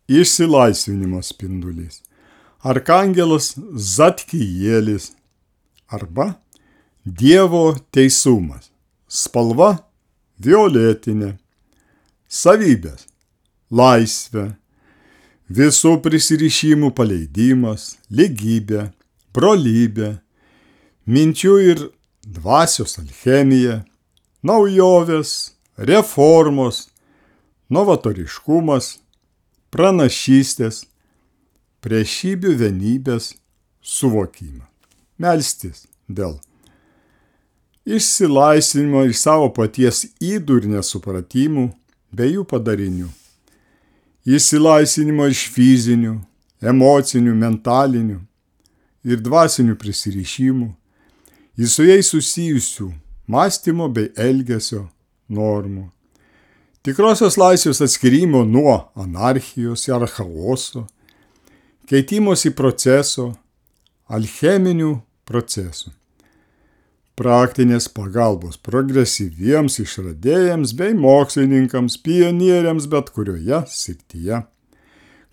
išsilaisvinimo spindulys. Arkangelas Zadkijėlis arba Dievo teisumas. Spalva violetinė. Savybės laisvė, visų prisirišimų paleidimas, lygybė, brolybė, minčių ir dvasios alchemija, naujovės, reformos, novatoriškumas, pranašystės, priešybių vienybės suvokimą. Melstis dėl išsilaisvinimo iš savo paties ydų ir nesupratimų bei jų padarinių. Išsilaisvinimo iš fizinių, emocinių, mentalinių ir dvasinių prisirišimų, į su jais susijusių mąstymo bei elgesio normų. Tikrosios laisvės atskirimo nuo anarchijos ar chaoso, keitimosi proceso, alcheminių procesų. Praktinės pagalbos progresyviems išradėjams bei mokslininkams, pionieriams bet kurioje srityje,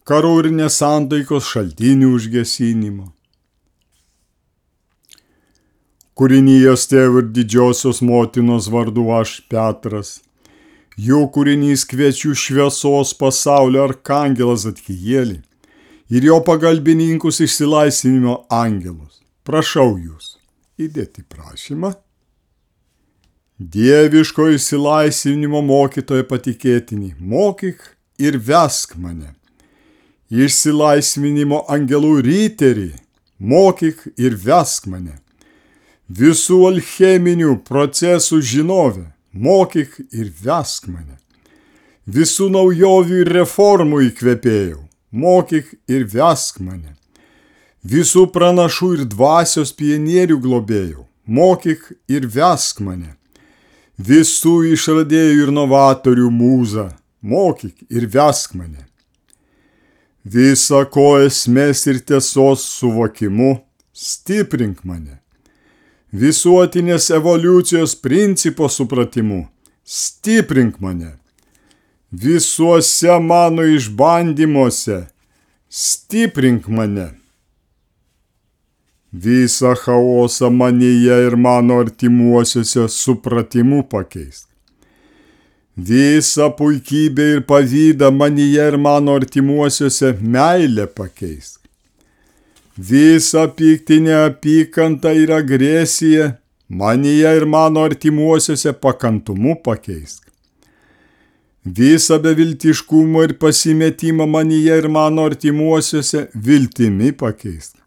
karų ir nesantaikos šaltinių užgesinimo. Kūrinijos tėvų ir didžiosios motinos vardu aš Petras, jų kūrinys kviečiu šviesos pasaulio arkangelas Zadkijėlį ir jo pagalbininkus išsilaisvinimo angelus. Prašau jūs įdėti prašymą. Dieviško išsilaisvinimo mokytojo patikėtinį, mokyk ir vesk mane. Išsilaisvinimo angelų riterį, mokyk ir vesk mane. Visų alcheminių procesų žinovė, mokyk ir vesk mane. Visų naujovių ir reformų įkvėpėjau, mokyk ir vesk mane. Visų pranašų ir dvasios pionierių globėjau, mokyk ir vesk mane. Visų išradėjų ir novatorių mūza, mokyk ir vesk mane. Visa ko esmės ir tiesos suvokimu, stiprink mane. Visuotinės evoliucijos principo supratimu, stiprink mane. Visuose mano išbandymuose, stiprink mane. Visą chaosą manyje ir mano artimuosiuose supratimu pakeisk. Visą puikybę ir pavydą manyje ir mano artimuosiuose meilę pakeisk. Visą piktinę apykantą ir agresiją manyje ir mano artimuosiuose pakantumu pakeisk. Visą beviltiškumą ir pasimetimą manyje ir mano artimuosiuose viltimi pakeisk.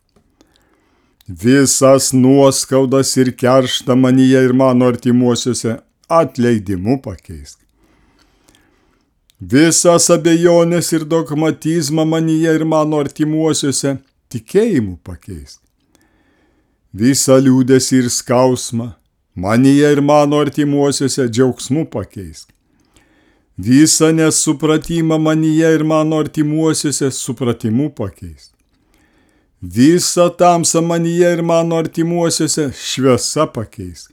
Visas nuoskaudas ir kerštą manyje ir mano artimuosiuose atleidimu pakeisk. Visas abejonės ir dogmatizmą manyje ir mano artimuosiuose tikėjimu pakeisk. Visą liūdesį ir skausmą manyje ir mano artimuosiuose džiaugsmu pakeisk. Visą nesupratimą manyje ir mano artimuosiuose supratimu pakeisk. Visą tamsą manyje ir mano artimuosiuose šviesa pakeisk.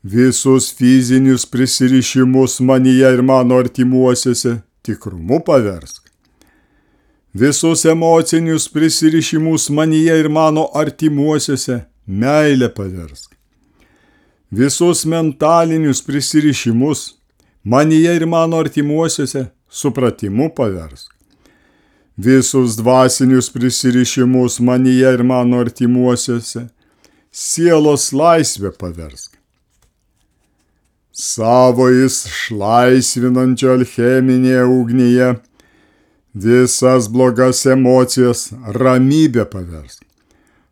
Visus fizinius prisirišimus manyje ir mano artimuosiuose tikrumu paversk. Visus emocinius prisirišimus manyje ir mano artimuosiuose meilę paversk. Visus mentalinius prisirišimus manyje ir mano artimuosiuose supratimu paversk. Visus dvasinius prisirišimus manyje ir mano artimuosiuose sielos laisvę paversk. Savo išlaisvinančio alcheminėje ugnyje visas blogas emocijas ramybę paversk.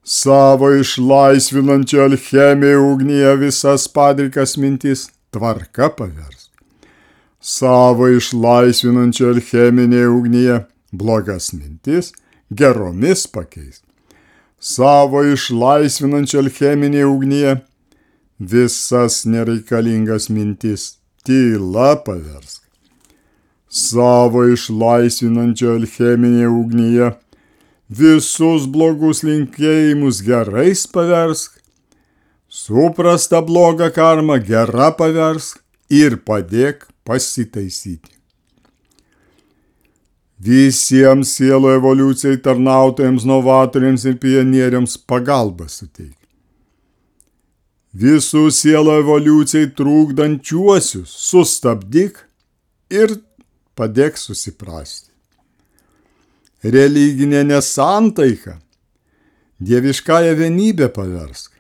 Savo išlaisvinančio alchemijos ugnyje visas padrikas mintis tvarka paversk. Savo išlaisvinančio alcheminėje ugnyje blogas mintis geromis pakeisk. Savo išlaisvinančio alcheminėje ugnyje visas nereikalingas mintis tyla paversk. Savo išlaisvinančio alcheminėje ugnyje visus blogus linkėjimus gerais paversk, suprastą blogą karmą gera paversk ir padėk pasitaisyti. visiems sielų evoliucijai tarnautojams, novatoriams ir pionieriams pagalbą suteik. Visų sielų evoliucijai trukdančiuosius sustabdyk ir padėk susiprasti. Religinė nesantaika dieviškąją vienybę paversk.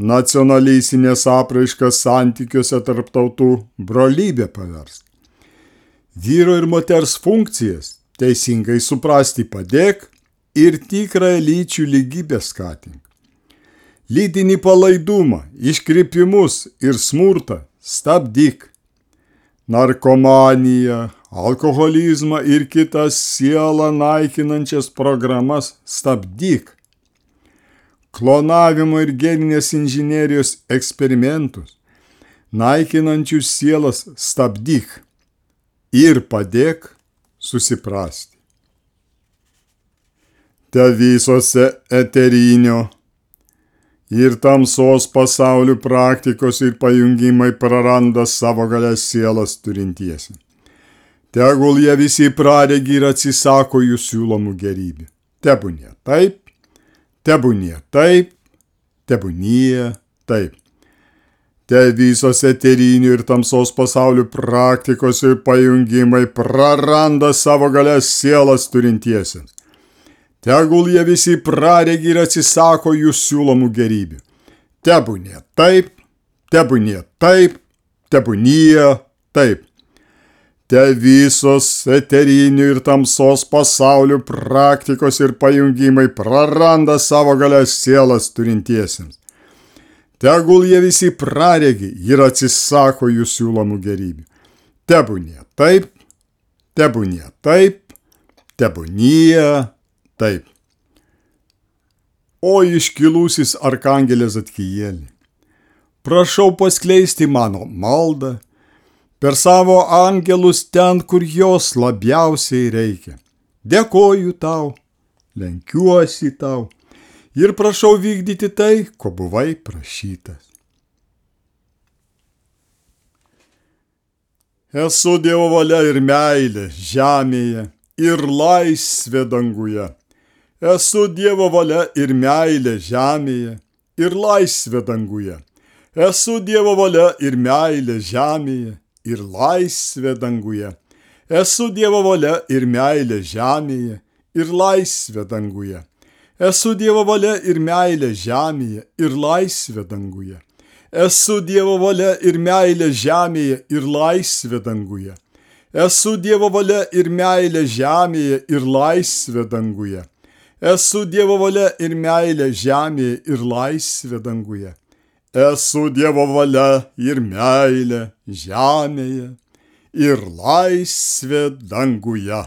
Nacionalistinės apraiškas santykiuose tarp tautų brolybę paversk. Vyro ir moters funkcijas teisingai suprasti padėk ir tikrą lyčių lygybę skatink. Lytinį palaidumą, iškrypimus ir smurtą stabdyk. Narkomaniją, alkoholizmą ir kitas sielą naikinančias programas stabdyk. Klonavimo ir geninės inžinerijos eksperimentus naikinančius sielas stabdyk ir padėk susiprasti. Te visose eterinio ir tamsos pasaulių praktikos ir pajungimai praranda savo galias sielas turintiesi. Tegul jie visi pradegi ir atsisako jų siūlomų gerybių. Tebūnie taip, tebūnie taip, tebūnie taip. Te visos eterinių ir tamsos pasaulių praktikos ir pajungimai praranda savo galias sielas turintiesiems. Tegul jie visi praregi ir atsisako jų siūlomų gerybių. Tebūnie taip, tebūnie taip, tebūnie taip. Te visos eterinių ir tamsos pasaulių praktikos ir pajungimai praranda savo galias sielas turintiesiems. Tegul jie visi praregi ir atsisako jų siūlomų gerybių. Tebūnie taip, tebūnie taip, tebūnie taip. O iškilusis arkangelė Zadkielį, prašau paskleisti mano maldą per savo angelus ten, kur jos labiausiai reikia. Dėkoju tau, lenkiuosi tau ir prašau vykdyti tai, ko buvai prašytas. Esu Dievo valia ir meilė žemėje ir laisvė danguje. Esu Dievo valia ir meilė žemėje ir laisvė danguje. Esu Dievo valia ir meilė žemėje ir laisvė danguje. Esu Dievo valia ir meilė žemėje ir laisvė danguje. Esu Dievo valia ir meilė žemėje ir laisvė danguje. Esu Dievo valia ir meilė žemėje ir laisvė danguje. Esu Dievo valia ir meilė žemėje ir laisvė danguje. Esu Dievo valia ir meilė žemėje ir laisvė danguje. Esu Dievo valia ir meilė žemėje ir laisvė danguje.